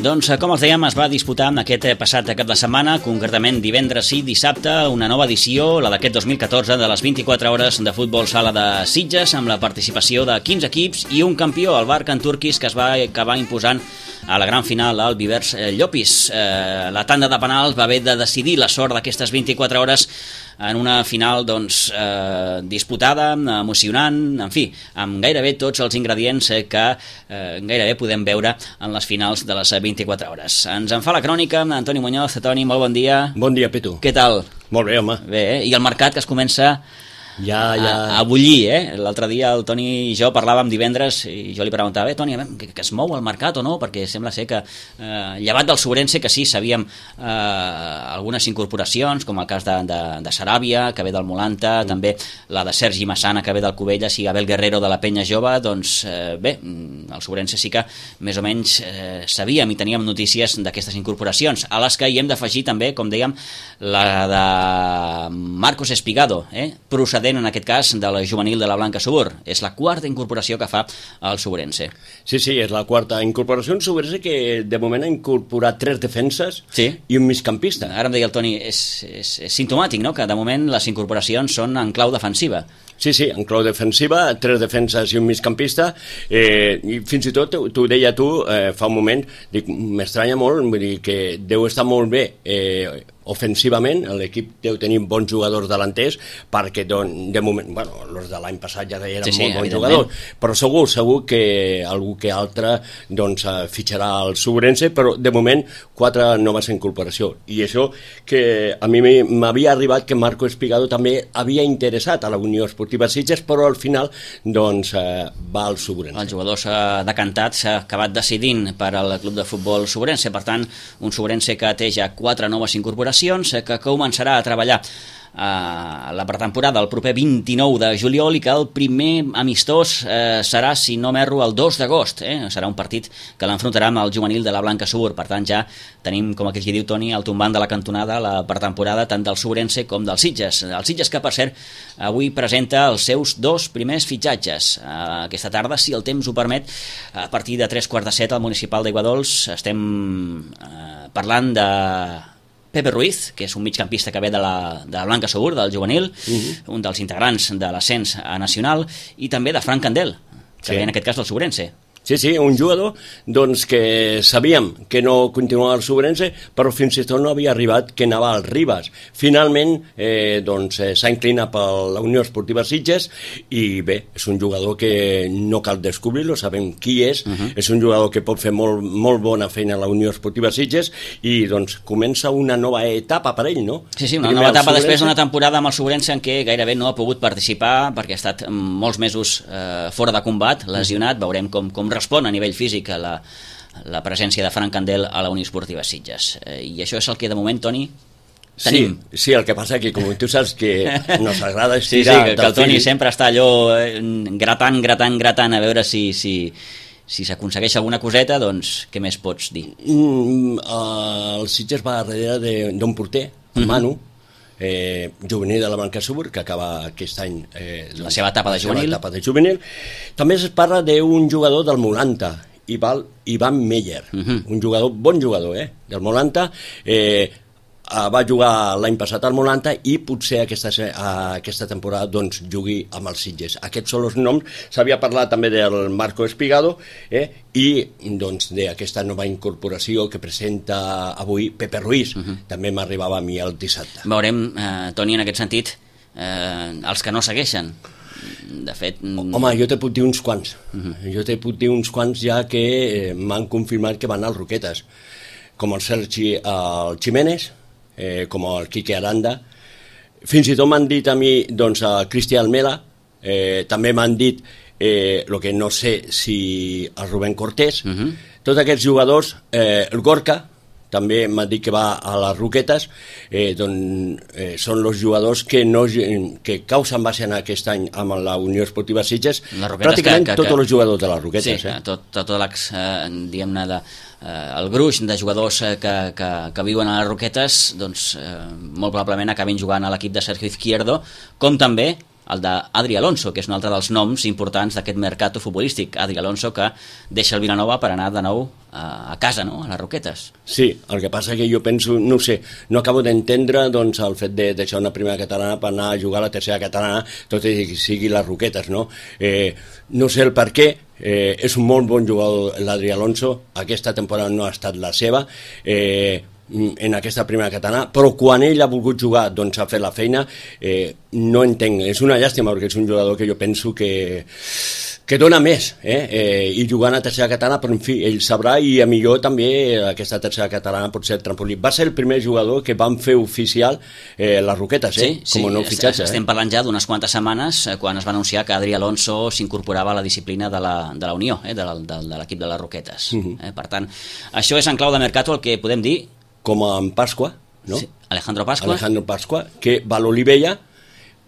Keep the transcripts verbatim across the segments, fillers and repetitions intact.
Doncs, com els dèiem, es va disputar aquest passat cap de setmana, concretament divendres i dissabte, una nova edició, la d'aquest dos mil catorze, de les vint-i-quatre hores de futbol sala de Sitges, amb la participació de quinze equips i un campió, el Barcan Turquis, que es va acabar imposant a la gran final al Vivers Llopis. Eh, la tanda de penals va haver de decidir la sort d'aquestes vint-i-quatre hores en una final doncs, eh, disputada, emocionant, en fi, amb gairebé tots els ingredients que eh, gairebé podem veure en les finals de les vint-i-quatre hores. Ens en fa la crònica Antoni Muñoz. Toni, molt bon dia. Bon dia, Petu. Què tal? Molt bé, home. Bé, eh? I el mercat que es comença ja, ja. A, a bullir, eh? L'altre dia el Toni i jo parlàvem divendres i jo li preguntava, eh, Toni, que, que es mou el mercat o no? Perquè sembla ser que, eh, llevat del Sobrense, que sí, sabíem eh, algunes incorporacions, com el cas de, de, de Saràbia, que ve del Molanta, mm. també la de Sergi Massana, que ve del Cubelles, i Abel Guerrero de la Penya Jove, doncs eh, bé, el Sobrense sí que més o menys eh, sabíem i teníem notícies d'aquestes incorporacions, a les que hi hem d'afegir també, com dèiem, la de Marcos Espigado, eh? procedent en aquest cas de la juvenil de la Blanca Subur. És la quarta incorporació que fa el Sobrense. Sí, sí, és la quarta incorporació. Un Sobrense que de moment ha incorporat tres defenses sí. i un migcampista. Ara em deia el Toni, és, és, és simptomàtic, no?, que de moment les incorporacions són en clau defensiva. Sí, sí, en clau defensiva, tres defenses i un migcampista, eh, i fins i tot, t'ho deia tu eh, fa un moment, dic, m'estranya molt, vull dir que deu estar molt bé eh, ofensivament, l'equip deu tenir bons jugadors delanters, perquè don, de moment, bueno, els de l'any passat ja eren sí, sí, molt bons jugadors, però segur, segur que algú que altre doncs fitxarà el Sobrense, però de moment quatre noves incorporacions, i això que a mi m'havia arribat que Marco Espigado també havia interessat a la Unió Esportiva Sitges, però al final doncs eh, va al Sobrense. El jugador s'ha decantat, s'ha acabat decidint per al club de futbol Sobrense, per tant, un Sobrense que té ja quatre noves incorporacions que començarà a treballar a la pretemporada el proper vint-i-nou de juliol i que el primer amistós eh, serà, si no m'erro, el dos d'agost. Eh? Serà un partit que l'enfrontarà amb el juvenil de la Blanca Subur. Per tant, ja tenim, com aquell que diu Toni, el tombant de la cantonada la pretemporada tant del Sobrense com del Sitges. El Sitges que, per cert, avui presenta els seus dos primers fitxatges. Eh, aquesta tarda, si el temps ho permet, a partir de tres quarts de set al municipal d'Aiguadols estem eh, parlant de Pepe Ruiz, que és un migcampista que ve de la, de la Blanca Subur, del juvenil, uh-huh. un dels integrants de l'ascens nacional, i també de Frank Candel, que sí. ve en aquest cas del Sobrense. Sí, sí, un jugador doncs, que sabíem que no continuava al Sobrense, però fins i tot no havia arribat que anava al Ribas. Finalment eh, doncs, eh, s'ha inclinat per la Unió Esportiva Sitges i bé, és un jugador que no cal descobrir-lo, sabem qui és, uh-huh. és un jugador que pot fer molt, molt bona feina a la Unió Esportiva Sitges i doncs comença una nova etapa per ell, no? Sí, sí, una Primer nova etapa després d'una temporada amb el Sobrense en què gairebé no ha pogut participar perquè ha estat molts mesos eh, fora de combat, lesionat, veurem com, com respon a nivell físic a la, la presència de Frank Candel a la Unió Esportiva Sitges. Eh, I això és el que de moment, Toni, tenim. Sí, sí, el que passa que com tu saps que nos agrada estirar... Sí, sí, que, que el Toni sempre està allò eh, gratant, gratant, gratant a veure si... si si s'aconsegueix alguna coseta, doncs què més pots dir? Mm, uh, el Sitges va darrere d'un porter, el Manu, eh, juvenil de la Blanca Subur, que acaba aquest any eh, la seva etapa de juvenil. etapa de juvenil. També es parla d'un jugador del Molanta, Ivan Meyer, uh-huh. un jugador, bon jugador, eh, del Molanta, eh, va jugar l'any passat al Molanta i potser aquesta, aquesta temporada doncs, jugui amb els Sitges. Aquests són els noms. S'havia parlat també del Marco Espigado eh, i doncs, d'aquesta nova incorporació que presenta avui Pepe Ruiz. Uh-huh. També m'arribava a mi el dissabte. Veurem, eh, Toni, en aquest sentit, eh, els que no segueixen. De fet... Home, jo te puc dir uns quants. Uh-huh. Jo te puc dir uns quants ja que eh, m'han confirmat que van als Roquetes. Com el Sergi el Ximénez, Eh, com el Quique Aranda, fins i tot m'han dit a mi doncs, a Cristian Almela, eh, també m'han dit eh, el que no sé si el Rubén Cortés, uh-huh. tots aquests jugadors, eh, el Gorka també m'ha dit que va a les Roquetes, eh, doncs, eh, són els jugadors que, no, que causen base en aquest any amb la Unió Esportiva Sitges, pràcticament que, que, tots els jugadors de les Roquetes. Sí, eh? tot, tot l'ex, eh, diguem-ne, de, eh, el gruix de jugadors eh, que, que, que viuen a les Roquetes, doncs, eh, molt probablement acabin jugant a l'equip de Sergio Izquierdo, com també el d'Adri Alonso, que és un altre dels noms importants d'aquest mercat futbolístic. Adri Alonso, que deixa el Vilanova per anar de nou a casa, no?, a les Roquetes. Sí, el que passa que jo penso, no sé, no acabo d'entendre doncs, el fet de deixar una primera catalana per anar a jugar a la tercera catalana, tot i que sigui les Roquetes, no? Eh, no sé el per què, eh, és un molt bon jugador l'Adri Alonso, aquesta temporada no ha estat la seva, eh, en aquesta primera catalana, però quan ell ha volgut jugar doncs ha fet la feina, eh, no entenc, és una llàstima perquè és un jugador que jo penso que que dona més, eh? Eh, i jugant a tercera catalana, però en fi, ell sabrà, i a millor també aquesta tercera catalana pot ser el trampolí. Va ser el primer jugador que van fer oficial eh, les Roquetes, eh? Sí, com sí, a nou fitxatge. Estem eh? parlant ja d'unes quantes setmanes eh, quan es va anunciar que Adri Alonso s'incorporava a la disciplina de la, de la Unió, eh? de, la, de, de l'equip de les Roquetes. Uh -huh. eh? Per tant, això és en clau de mercato el que podem dir. Com en Pasqua, no? Sí. Alejandro Pasqua. Alejandro Pasqua, que va a l'Olivella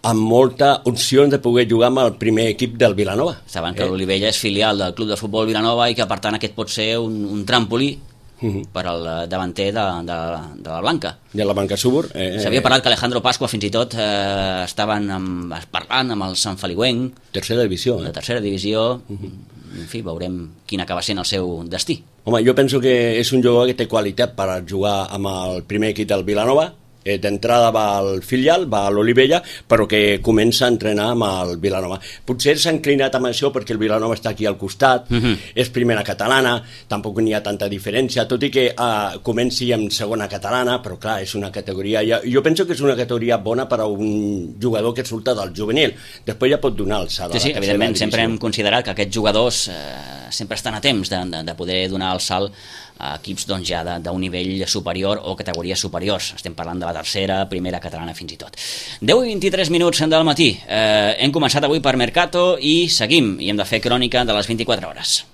amb molta opció de poder jugar amb el primer equip del Vilanova. Saben que eh? l'Olivella és filial del Club de Futbol Vilanova i que, per tant, aquest pot ser un, un trampolí uh -huh. per al davanter de, de, de la Blanca. De la Blanca Súbor. Eh, S'havia parlat que Alejandro Pasqua fins i tot eh, estaven amb, parlant amb el Sant Feliuenc. Tercera divisió. Eh? De tercera divisió. Uh -huh. En fi, veurem quin acaba sent el seu destí. Home, jo penso que és un jugador que té qualitat per jugar amb el primer equip del Vilanova. Eh, d'entrada va al filial, va a l'Olivella, però que comença a entrenar amb el Vilanova. Potser s'ha inclinat amb això perquè el Vilanova està aquí al costat, uh-huh. és primera catalana, tampoc n'hi ha tanta diferència, tot i que eh, comenci amb segona catalana, però clar, és una categoria... Ja, jo penso que és una categoria bona per a un jugador que surta del juvenil. Després ja pot donar alçada. Sí, sí, evidentment, sempre hem considerat que aquests jugadors eh, sempre estan a temps de, de, de poder donar el salt a equips doncs, ja d'un nivell superior o categories superiors. Estem parlant de la tercera, primera catalana fins i tot. deu i vint-i-tres minuts del matí. Eh, hem començat avui per Mercato i seguim, i hem de fer crònica de les vint-i-quatre hores.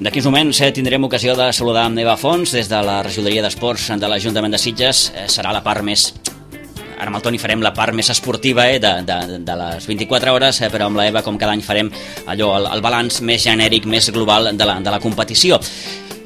D'aquí uns moments eh, tindrem ocasió de saludar amb Eva Fons des de la regidoria d'Esports de l'Ajuntament de Sitges. Eh, serà la part més... Ara amb el Toni farem la part més esportiva eh, de, de, de les vint-i-quatre hores, eh, però amb la Eva, com cada any, farem allò, el, el balanç més genèric, més global de la, de la competició.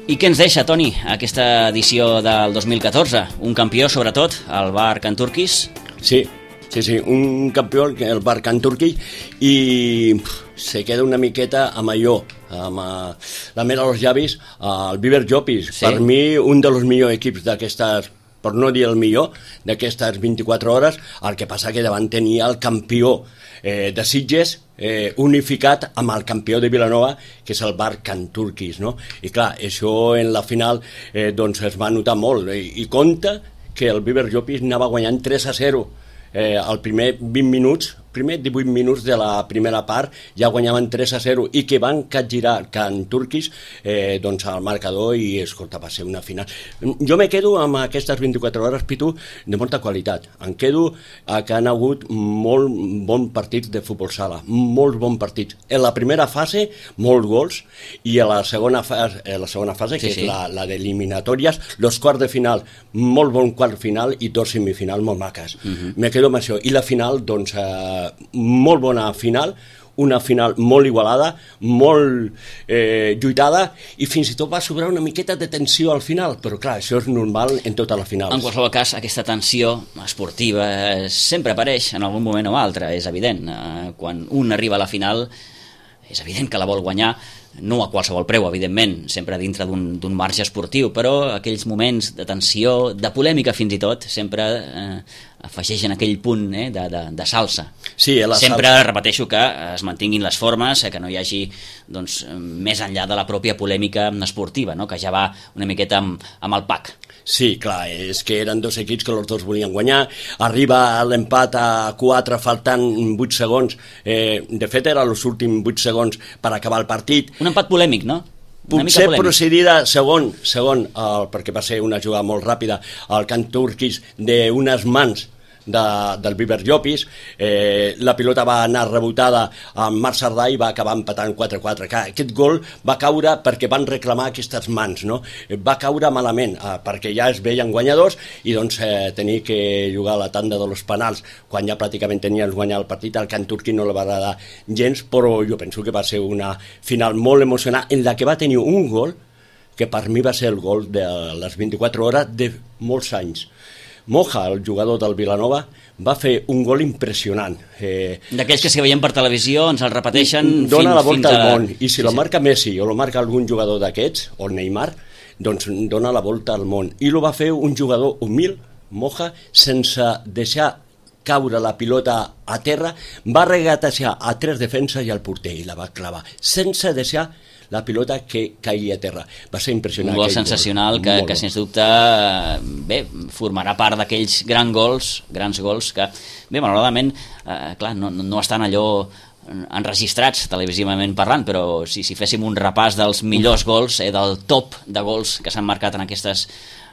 I què ens deixa, Toni, aquesta edició del dos mil catorze? Un campió, sobretot, el Bar Can Turquis? Sí, sí, sí, un campió, el Bar Can Turquis, i pff, se queda una miqueta amb allò, amb uh, la mera als llavis, uh, el Viver Jopis. Sí. Per mi, un dels millors equips d'aquestes, per no dir el millor, d'aquestes vint-i-quatre hores. El que passa que davant tenia el campió eh, de Sitges, eh, unificat amb el campió de Vilanova, que és el Bar Can Turquis, no? I clar, això en la final eh, doncs es va notar molt, i, i compta que el Viver Jopis anava guanyant tres a zero eh, al primer vint minuts, primer divuit minuts de la primera part, ja guanyaven tres a zero, i que van capgirar Can Turquis eh, doncs al marcador, i escolta, va ser una final. Jo me quedo amb aquestes vint-i-quatre hores, Pitu, de molta qualitat. Em quedo a que han hagut molt bons partits de futbol sala, molts bons partits. En la primera fase, molts gols, i a la segona fase, a la segona fase sí, que sí. és la, la d'eliminatòries, los quarts de final, molt bon quart final, i dos semifinals molt maques. Uh-huh. Me quedo amb això. I la final, doncs, eh, molt bona final, una final molt igualada, molt eh, lluitada, i fins i tot va sobrar una miqueta de tensió al final, però clar, això és normal en totes les finals. En qualsevol cas, aquesta tensió esportiva sempre apareix en algun moment o altre, és evident. Quan un arriba a la final, és evident que la vol guanyar, no a qualsevol preu, evidentment, sempre dintre d'un marge esportiu, però aquells moments de tensió, de polèmica fins i tot, sempre eh, afegeixen aquell punt eh, de, de, de salsa. Sí, la sempre salsa. Repeteixo que es mantinguin les formes, eh, que no hi hagi doncs, més enllà de la pròpia polèmica esportiva, no? Que ja va una miqueta amb, amb el pack. Sí, clar, és que eren dos equips que els dos volien guanyar, arriba l'empat a quatre faltant vuit segons, eh, de fet eren els últims vuit segons per acabar el partit. Un empat polèmic, no? Potser procedida segon, segon el, perquè va ser una jugada molt ràpida, el Can Turquis d'unes mans de, del Viver Llopis, eh, la pilota va anar rebotada amb Marc Cerdà i va acabar empatant quatre a quatre. Aquest gol va caure perquè van reclamar aquestes mans, no? Va caure malament, eh, perquè ja es veien guanyadors i doncs eh, tenia que jugar a la tanda de los penals quan ja pràcticament tenien guanyat el partit. Al Can Turqui no li va agradar gens, però jo penso que va ser una final molt emocionant en la que va tenir un gol que per mi va ser el gol de les vint-i-quatre hores de molts anys. Moja, el jugador del Vilanova, va fer un gol impressionant. Eh, D'aquells que si veiem per televisió ens el repeteixen dona fins, la volta fins a... al món, i si sí, lo sí. marca Messi o lo marca algun jugador d'aquests, o Neymar, doncs dona la volta al món. I lo va fer un jugador humil, Moja, sense deixar caure la pilota a terra, va regatejar a tres defenses i al porter i la va clavar, sense deixar la pilota que caigui a terra. Va ser impressionant. Un gol sensacional gol. que, que sens dubte bé, formarà part d'aquells grans gols, grans gols que, bé, malauradament, eh, clar, no, no estan allò enregistrats televisivament parlant, però si, si féssim un repàs dels millors gols, eh, del top de gols que s'han marcat en aquestes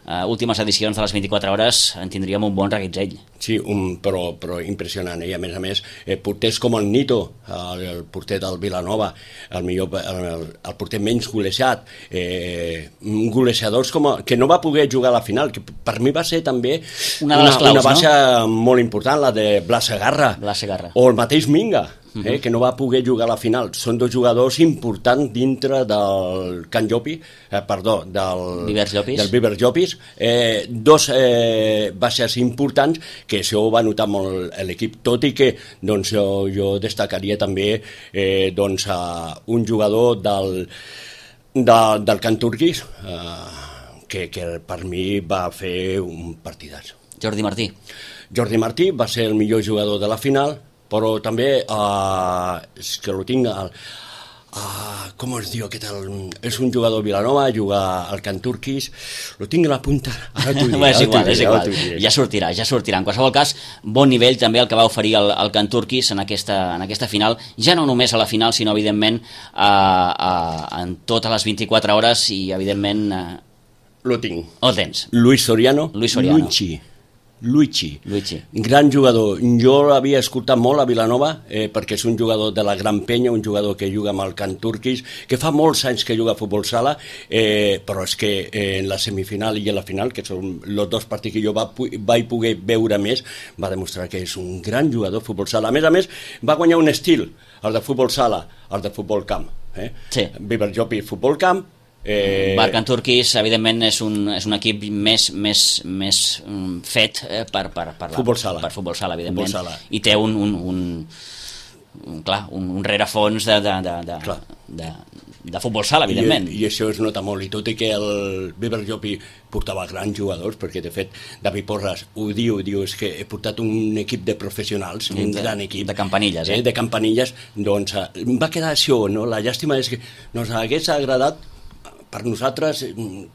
Uh, últimes edicions de les vint-i-quatre hores, en tindríem un bon reguitzell. Sí, un, però, però impressionant, eh? I a més a més, eh, porters com el Nito, el, el porter del Vilanova, el, millor, el, el porter menys golejat, eh, golejadors com a, que no va poder jugar a la final, que per mi va ser també una, de les claus, una baixa no? molt important, la de Blas Segarra, Blas Segarra. O el mateix Minga, Eh, que no va poder jugar a la final. Són dos jugadors importants dintre del Can Llopi, eh, perdó, del Viver Llopis, del Viver Llopis. Eh, dos eh, baixes importants que això ho va notar molt l'equip, tot i que doncs, jo, jo destacaria també eh, doncs, a un jugador del, de, del Can Turquis eh, que, que per mi va fer un partidàs. Jordi Martí. Jordi Martí va ser el millor jugador de la final, però també uh, és que lo tinc al, uh, com es diu aquest el, és un jugador Vilanova, juga al Can Turquis, lo tinc a la punta, ara t'ho diré, és igual, diré, és igual. Ja sortirà, ja sortirà. En qualsevol cas, bon nivell també el que va oferir el, el Can Turquis en aquesta, en aquesta final, ja no només a la final, sinó evidentment uh, uh, en totes les vint-i-quatre hores i evidentment uh, lo tinc, el tens. Luis Soriano, Luis Soriano. Luigi Luigi, Luigi, gran jugador. Jo l'havia escoltat molt a Vilanova eh, perquè és un jugador de la Gran Penya, un jugador que juga amb el Can Turquis, que fa molts anys que juga a futbol sala, eh, però és que eh, en la semifinal i en la final, que són els dos partits que jo va, vaig poder veure més, va demostrar que és un gran jugador de futbol sala. A més a més, va guanyar un estil, el de futbol sala, el de futbol camp. Eh? Sí. Viver Llopis, futbol camp. Eh... Bar Can Turquis, evidentment, és un, és un equip més, més, més um, fet eh, per, per, per, la, futbol sala. per futbol sala, evidentment, futbol sala. I té un, un, un, un, clar, un, un rerefons de, de, de, de, de, de futbol sala, evidentment. I, I això es nota molt, i tot i que el Viver Llopi portava grans jugadors, perquè de fet David Porras ho diu, diu és que he portat un equip de professionals, un de, gran equip. De campanilles, eh? eh? De campanilles, doncs va quedar això, no? La llàstima és que nos hagués agradat per nosaltres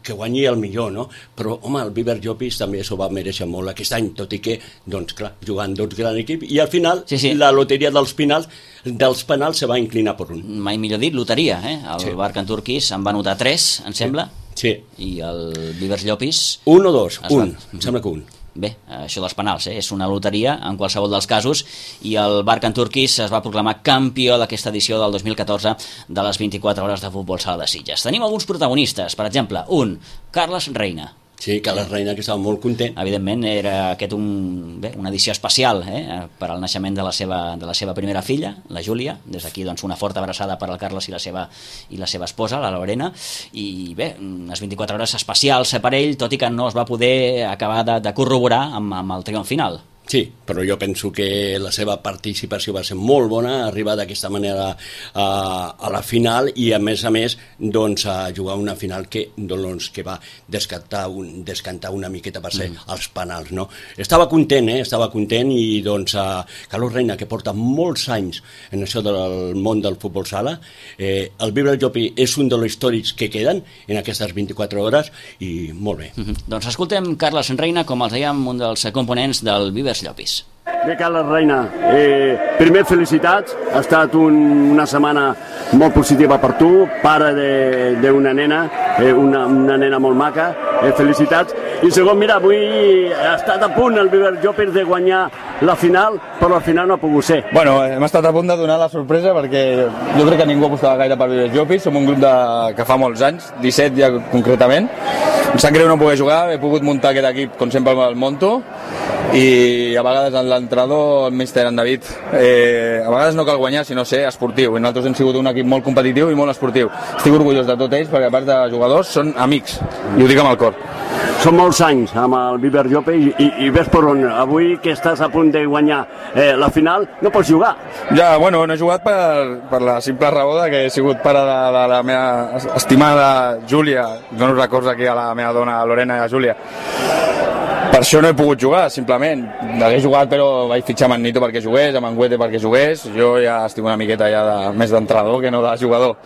que guanyi el millor, no? Però, home, el Viver Llopis també s'ho va mereixer molt aquest any, tot i que, doncs, clar, jugant dos grans equips, i al final, sí, sí. la loteria dels penals, dels penals se va inclinar per un. Mai millor dit, loteria, eh? El sí. Bar Can Turquis en va anotar tres, em sembla, sí. I el Viver Llopis... Un o dos, un, va... em sembla que un. Bé, això dels penals, eh? És una loteria en qualsevol dels casos, i el Bar Can Turquis es va proclamar campió d'aquesta edició del dos mil catorze de les vint-i-quatre hores de futbol sala de Sitges. Tenim alguns protagonistes, per exemple, un, Carles Reina. Sí, Carles Reina, que estava molt content. Evidentment, era aquest un, bé, una edició especial eh, per al naixement de la, seva, de la seva primera filla, la Júlia. Des d'aquí, doncs, una forta abraçada per al Carles i la seva, i la seva esposa, la Lorena. I bé, unes vint-i-quatre hores especials per ell, tot i que no es va poder acabar de, de corroborar amb, amb el triomf final. Sí, però jo penso que la seva participació va ser molt bona, arribar d'aquesta manera a, a la final i a més a més doncs, a jugar una final que, doncs, que va descantar, un, descantar una miqueta per ser mm. els penals, no? Estava content, eh? Estava content i doncs a Carlos Reina, que porta molts anys en això del món del futbol sala, eh, el Viver Llopi és un dels històrics que queden en aquestes vint-i-quatre hores i molt bé. Mm-hmm. Doncs escoltem Carles Reina, com els dèiem, un dels components del Viver Llopis. Bé, Carles Reina, eh, primer felicitats, ha estat un, una setmana molt positiva per tu, pare d'una nena, eh, una, una nena molt maca, eh, felicitats, I segon, mira, avui ha estat a punt el Viver Llopis de guanyar la final, però al final no ha pogut ser. Bueno, hem estat a punt de donar la sorpresa perquè jo crec que ningú apostava gaire per Viver Llopis. Som un grup de, que fa molts anys, disset ja concretament. Em sap greu no poder jugar, he pogut muntar aquest equip com sempre el monto, i a vegades l'entrenador, el míster en David, eh, a vegades no cal guanyar sinó ser esportiu, i nosaltres hem sigut un equip molt competitiu i molt esportiu. Estic orgullós de tots ells perquè a part de jugadors són amics, i ho dic amb el cor. Són molts anys amb el Viver Llopis i, i ves per on. Avui que estàs a punt de guanyar eh, la final, no pots jugar. Ja, bueno, no he jugat per, per la simple raó de que he sigut pare de, de la meva estimada Júlia, dono records aquí a la meva dona Lorena i a Júlia. Per això no he pogut jugar, simplement. Hagués jugat, però vaig fitxar amb en Nito perquè jugués, amb en Güete perquè jugués. Jo ja estic una miqueta ja de, més d'entrenador que no de jugador.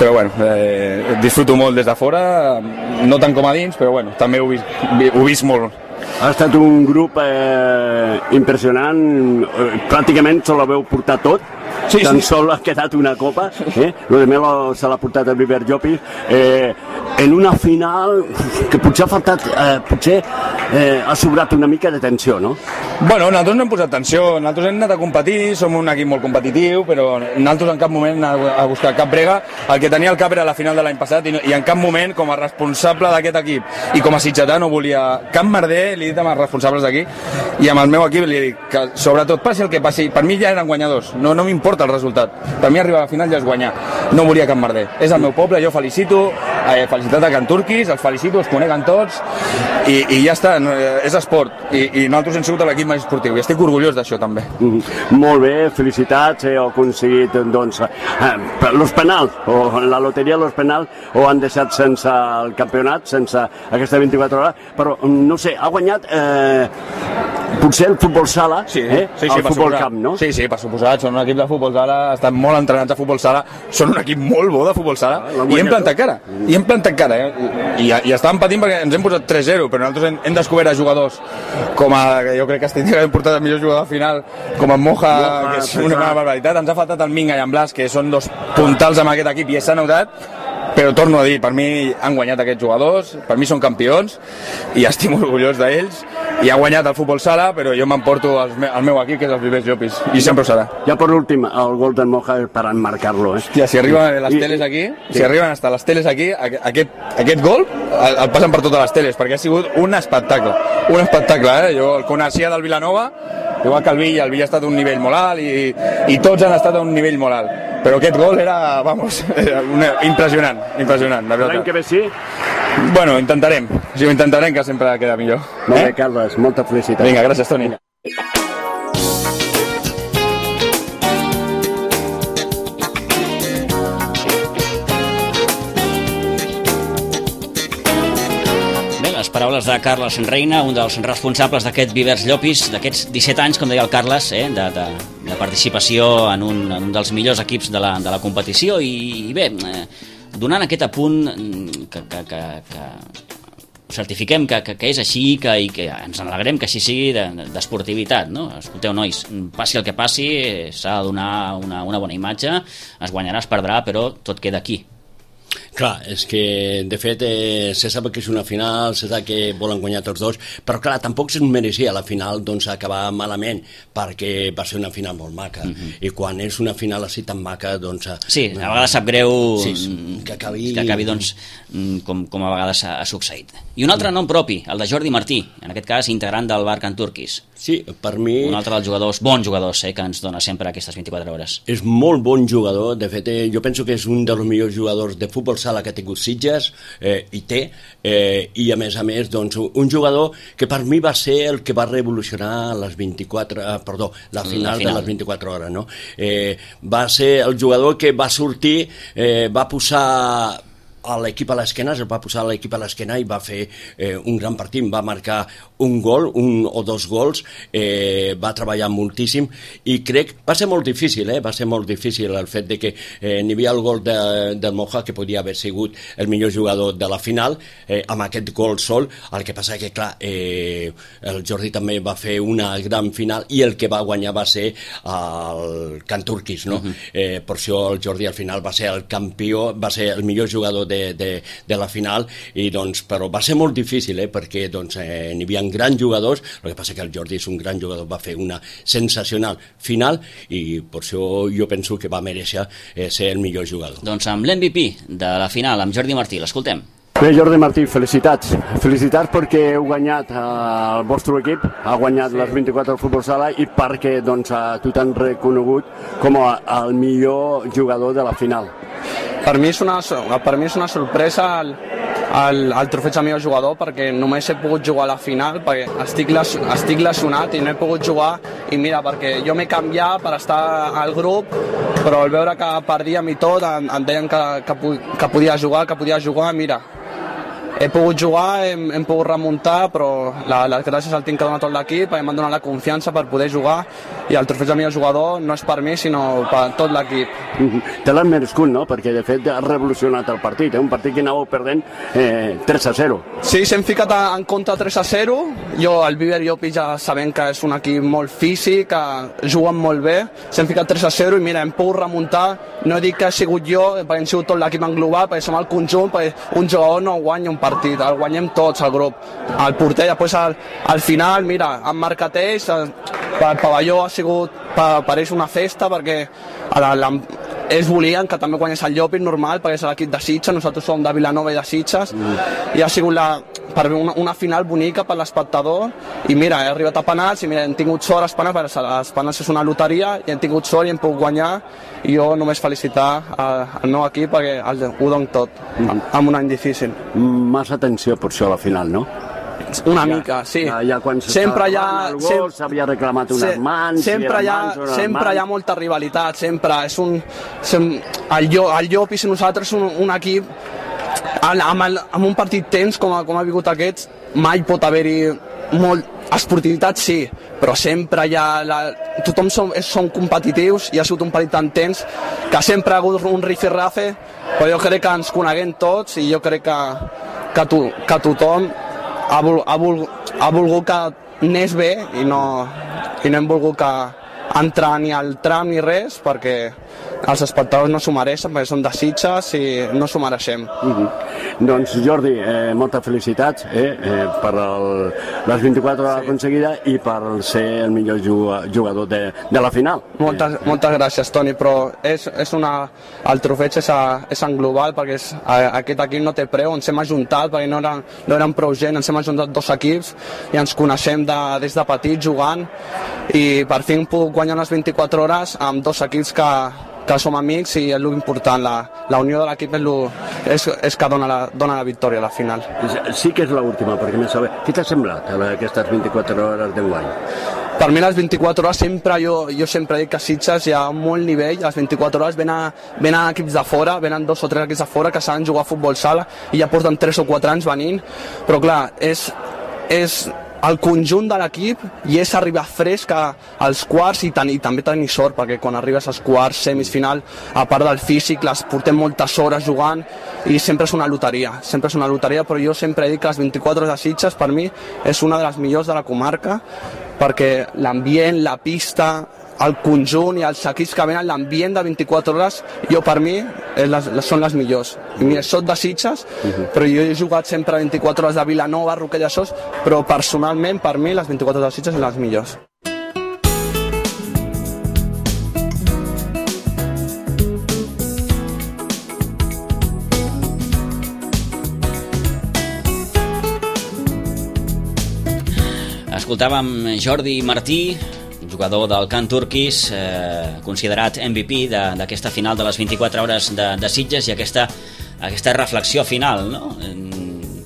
Però bueno, eh, disfruto molt des de fora, no tant com a dins, però bueno, també ho he vist, ho he vist molt. Ha estat un grup eh, impressionant, eh, pràcticament se l'heu portat tot, sí, tan sí. Sol ha quedat una copa, eh? Lo de Melo se l'ha portat el Viver Llopis, eh, en una final que potser ha faltat, eh, potser eh, ha sobrat una mica de tensió, no? Bueno, nosaltres no hem posat tensió, nosaltres hem anat a competir, som un equip molt competitiu, però nosaltres en cap moment hem a buscar cap brega. El que tenia el cap era la final de l'any passat i, i en cap moment, com a responsable d'aquest equip i com a sitgetà, no volia cap merder, li he dit amb els responsables d'aquí i amb el meu equip li he dit que sobretot passi el que passi, per mi ja eren guanyadors, no, no m'importa el resultat, per mi arribar a la final ja és guanyar, no volia cap merder, és el meu poble, jo felicito, eh, felicitat a Can Turquis, els felicito, els coneguen tots i, i ja està, no, és esport i, i nosaltres hem sigut l'equip més esportiu i estic orgullós d'això també. Mm, molt bé, felicitats, heu aconseguit doncs, eh, los penals o la loteria dels penals ho han deixat sense el campionat, sense aquesta vint-i-quatre hores, però no sé, ha guanyat eh, potser el futbol sala, sí, eh? sí, sí, el futbol suposat. Camp, no? Sí, sí, per suposat, són un equip de futbol sala, estan molt entrenats a futbol sala, són un equip molt bo de futbol sala, ah, i hem plantat cara, i hem plantat cara, eh? I, i estàvem patint perquè ens hem posat tres zero, però nosaltres hem, hem descobert a jugadors com a, jo crec que estic hem portat el millor jugador final, com en Moja, Moja que és una, una barbaritat, ens ha faltat el Minga i en Blas, que són dos puntals amb aquest equip i s'ha notat, però torno a dir, per mi han guanyat aquests jugadors, per mi són campions i estic molt orgullós d'ells i ha guanyat el futbol sala, però jo m'emporto al meu equip, que és el Viver Llopis, i sempre ho serà. Ja per últim, el gol del Moja és per emmarcar-lo, eh? Hòstia, si arriben les teles aquí, sí. si arriben hasta les teles aquí, aquest, aquest gol el, el passen per totes les teles, perquè ha sigut un espectacle, un espectacle, eh? Jo el coneixia del Vilanova, igual que el Villa, el Villa ha estat a un nivell molt alt i, i tots han estat a un nivell molt alt, però aquest gol era, vamos, era una, impressionant, impressionant, la veritat. L'any que ve sí? Bueno, intentarem, sí, ho intentarem, que sempre queda millor. Molt bé, Carles, molta felicitat. Vinga, gràcies, Toni. Paraules de Carles Reina, un dels responsables d'aquest Vivers Llopis, d'aquests disset anys, com deia el Carles, eh, de, de, de participació en un, en un dels millors equips de la, de la competició i, i bé, eh, donant aquest apunt que, que, que, que certifiquem que, que, que és així que, i que ens alegrem que així sigui d'esportivitat, no? Escolteu, nois, passi el que passi, s'ha de donar una, una bona imatge, es guanyarà, es perdrà, però tot queda aquí. Clar, és que de fet eh, se sap que és una final, se sap que volen guanyar tots dos, però clar, tampoc se'n mereixia la final doncs acabar malament, perquè va ser una final molt maca, mm-hmm. i quan és una final així tan maca, doncs... Sí, a vegades sap greu sí, que acabi, que acabi doncs, com, com a vegades ha, ha succeït. I un altre nom propi, el de Jordi Martí, en aquest cas integrant del bar Can Turquis. Sí, per mi... Un altre dels jugadors, bons jugadors, eh, que ens dona sempre aquestes vint-i-quatre hores. És molt bon jugador, de fet, eh, jo penso que és un dels millors jugadors de futbol sala que ha tingut Sitges, eh, i té, eh, i a més a més, doncs, un jugador que per mi va ser el que va revolucionar les vint-i-quatre, eh, perdó, la final, la final de les vint-i-quatre hores, no? Eh, va ser el jugador que va sortir, eh, va posar a l'equip a l'esquena, es va posar l'equip a l'esquena i va fer eh, un gran partit, va marcar un gol, un o dos gols, eh, va treballar moltíssim i crec, va ser molt difícil, eh? va ser molt difícil el fet de que eh, n'hi havia el gol de, del Moja que podia haver sigut el millor jugador de la final, eh, amb aquest gol sol, el que passa que clar, eh, el Jordi també va fer una gran final i el que va guanyar va ser el Can Turquis, no? Uh-huh. eh, per això el Jordi al final va ser el campió, va ser el millor jugador de, de, de la final, i doncs, però va ser molt difícil, eh, perquè doncs, eh, n'hi havia grans jugadors, el que passa que el Jordi és un gran jugador, va fer una sensacional final i per això jo penso que va mereixer eh, ser el millor jugador. Doncs amb l'M V P de la final, amb Jordi Martí, l'escoltem. Bé, Jordi Martí, felicitats. Felicitats perquè heu guanyat eh, el vostre equip, ha guanyat sí. les vint-i-quatre del Futbol Sala i perquè doncs, tu t'han reconegut com a, el millor jugador de la final. Per mi és una, per mi és una sorpresa el, el, el trofeig de millor jugador perquè només he pogut jugar a la final perquè estic, les, estic lesionat i no he pogut jugar i mira, perquè jo m'he canviat per estar al grup però al veure que perdíem i tot em, em deien que, que, que podia jugar, que podia jugar, mira, he pogut jugar, hem, hem pogut remuntar, però la, les gràcies al tinc que dona tot l'equip, m'han donat la confiança per poder jugar i el trofeig de millor jugador no és per mi, sinó per tot l'equip. Mm-hmm. Te l'han merescut, no? Perquè de fet ha revolucionat el partit, eh? Un partit que anàveu perdent eh, tres a zero. Sí, s'hem ficat en compte tres a zero, jo, el Viver Llopis ja sabem que és un equip molt físic, que juguen molt bé, s'hem ficat tres a zero i mira, hem pogut remuntar, no dic que ha sigut jo, perquè hem sigut tot l'equip en global, perquè som el conjunt, perquè un jugador no guanya un partit, el guanyem tots, el grup, el porter, després al, al final, mira, han marcat ells, el, el pavelló ha sigut, pareix una festa, perquè la, la, ells volien que també guanyés el Llopis normal, perquè és l'equip de Sitges, nosaltres som de Vilanova i de Sitges, mm. i ha sigut la, per una, una final bonica per l'espectador, i mira, he arribat a penals, i mira, hem tingut sort als penals, perquè els penals és una loteria, i hem tingut sort i hem pogut guanyar, i jo només felicitar al meu equip perquè el, ho dono tot, mm. amb un any difícil. Massa tensió per això a la final, no? Una ja, mica, sí. Ja, ja quan sempre hi ha, el gol s'havia reclamat unes se, mans, sempre hi ha, mans, sempre mans. hi ha molta rivalitat, sempre és un, sem, el, el Llopis i nosaltres un, un equip amb, el, amb un partit tens com, com ha vingut aquest, mai pot haver-hi molt esportivitat, sí, però sempre hi ha la, tothom som, som competitius i ha sigut un partit tan tens que sempre ha hagut un rifirrafe, però jo crec que ens coneguem tots i jo crec que, que, to, que tothom ha, vol, ha, vol, ha volgut que anés bé i no, i no hem volgut que entrar ni al tram ni res perquè els espectadors no s'ho mereixen perquè són de Sitges i no s'ho mereixem. Mm-hmm. Doncs Jordi, eh, moltes felicitats eh, eh, per el, les vint-i-quatre hores sí. aconseguida i per ser el millor jugador de, de la final. Moltes, eh. moltes gràcies, Toni, però és, és una, el trofeig és, a, és en global perquè és, a, aquest equip no té preu, ens hem ajuntat perquè no eren, no eren prou gent, ens hem ajuntat dos equips i ens coneixem de, des de petit jugant i per fi hem pogut guanyar les vint-i-quatre hores amb dos equips que que som amics i és l'important, la, la unió de l'equip és, és, és que dona la, dona la victòria a la final. Sí que és l'última, perquè més saber. Què t'ha semblat aquestes vint-i-quatre hores d'enguany? Per mi les vint-i-quatre hores sempre, jo, jo sempre dic que a Sitges hi ha molt nivell, les vint-i-quatre hores venen, venen equips de fora, venen dos o tres equips de fora que saben jugar a futbol sala i ja porten tres o quatre anys venint, però clar, és, és el conjunt de l'equip i és arribar fresc als quarts i, ten, i també tenir sort perquè quan arribes als quarts, semis, final, a part del físic, les portem moltes hores jugant i sempre és una loteria, sempre és una loteria, però jo sempre dic que les vint-i-quatre hores de Sitges per mi és una de les millors de la comarca perquè l'ambient, la pista, el conjunt i els equips que venen, l'ambient de vint-i-quatre hores, jo per mi les, les, són les millors. I mira, soc de Sitges, uh-huh. però jo he jugat sempre vint-i-quatre hores de Vilanova, Roquetes de Sos, però personalment per mi les vint-i-quatre hores de Sitges són les millors. Escoltàvem Jordi Martí, jugador del Can Turquis, eh, considerat M V P d'aquesta final de les vint-i-quatre hores de, de Sitges i aquesta, aquesta reflexió final, no?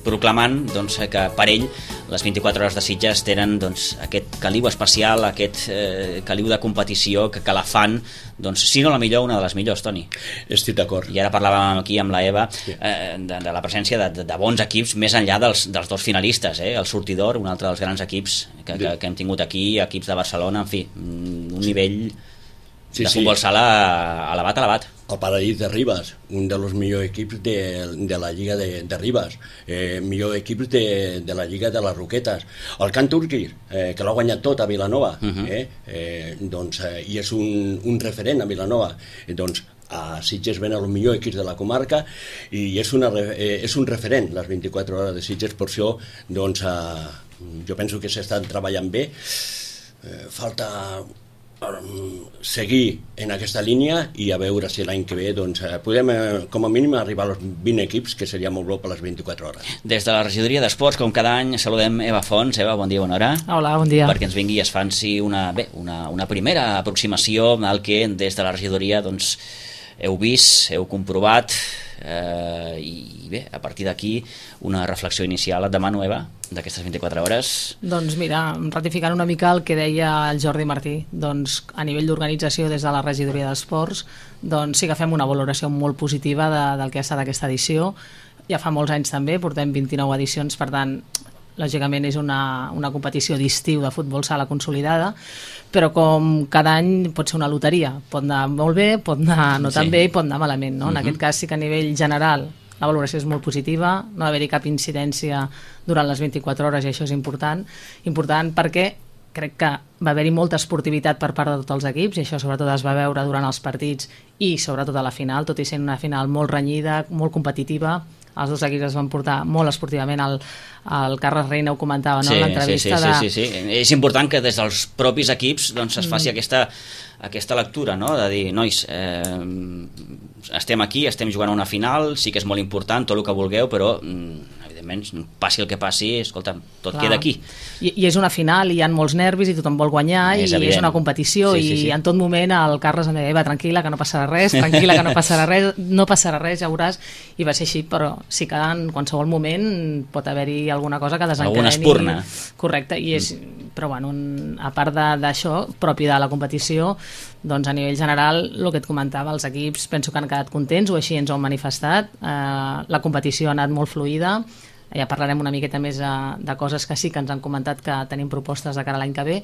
proclamant doncs, que per ell les vint-i-quatre hores de Sitges tenen doncs, aquest caliu especial, aquest eh, caliu de competició que, que la fan, doncs, si no la millor, una de les millors, Toni. Estic d'acord. I ara parlàvem aquí amb la Eva eh, de, de la presència de, de, de bons equips més enllà dels, dels dos finalistes, eh? El Sortidor, un altre dels grans equips que, que, que hem tingut aquí, equips de Barcelona, en fi, un nivell sí, de futbol sí. sala elevat, elevat. El Paradís de Ribes, un dels millors equips de, de la Lliga de, de Ribes, eh, millor equips de, de la Lliga de les Roquetes. El Can Turquis, eh, que l'ha guanyat tot a Vilanova, uh-huh. eh, eh, doncs, eh, i és un, un referent a Vilanova. Eh, doncs, a Sitges ven els millors equips de la comarca i és, una, eh, és un referent les vint-i-quatre hores de Sitges, per això doncs, eh, jo penso que s'estan treballant bé. Eh, falta seguir en aquesta línia i a veure si l'any que ve doncs, podem com a mínim arribar als vint equips, que seria molt bo per les vint-i-quatre hores. Des de la regidoria d'Esports, com cada any, saludem Eva Fons. Eva, bon dia, bona hora. Hola, bon dia. Perquè ens vingui i es fanci una, bé, una, una primera aproximació al que des de la regidoria doncs, heu vist, heu comprovat, eh, i bé, a partir d'aquí una reflexió inicial. Et demano, Eva, d'aquestes vint-i-quatre hores. Doncs mira, ratificant una mica el que deia el Jordi Martí, doncs a nivell d'organització des de la regidoria d'Esports, doncs sí que fem una valoració molt positiva de, del que ha estat aquesta edició. Ja fa molts anys també, portem vint-i-nou edicions, per tant lògicament és una, una competició d'estiu de futbol sala consolidada, però com cada any pot ser una loteria, pot anar molt bé, pot anar no tan sí. bé i pot anar malament, no? Uh-huh. En aquest cas sí que a nivell general la valoració és molt positiva, no va haver-hi cap incidència durant les vint-i-quatre hores i això és important, important perquè crec que va haver-hi molta esportivitat per part de tots els equips i això sobretot es va veure durant els partits i sobretot a la final, tot i sent una final molt renyida, molt competitiva. Els dos equips es van portar molt esportivament. El, el Carles Reina ho comentava, no? Sí, en l'entrevista. Sí, sí, sí, sí, sí. És important que des dels propis equips doncs, es faci mm. aquesta, aquesta lectura, no? De dir, nois, eh, estem aquí, estem jugant a una final, sí que és molt important, tot el que vulgueu, però evidentment, passi el que passi, escolta, tot Clar. queda aquí. I, I és una final, i hi ha molts nervis, i tothom vol guanyar, és i evident. És una competició, sí, sí, sí. i en tot moment el Carles em deia, Eva, tranquil·la, que no passarà res, tranquil·la, que no passarà res, no passarà res, ja veuràs, i va ser així, però sí que en qualsevol moment pot haver-hi alguna cosa que desencadeni. Alguna espurna. Correcte, i és, però bueno, a part d'això, propi de la competició, doncs a nivell general, el que et comentava, els equips penso que han quedat contents, o així ens ho han manifestat, eh, la competició ha anat molt fluida, ja parlarem una miqueta més de, de coses que sí que ens han comentat que tenim propostes de cara a l'any que ve.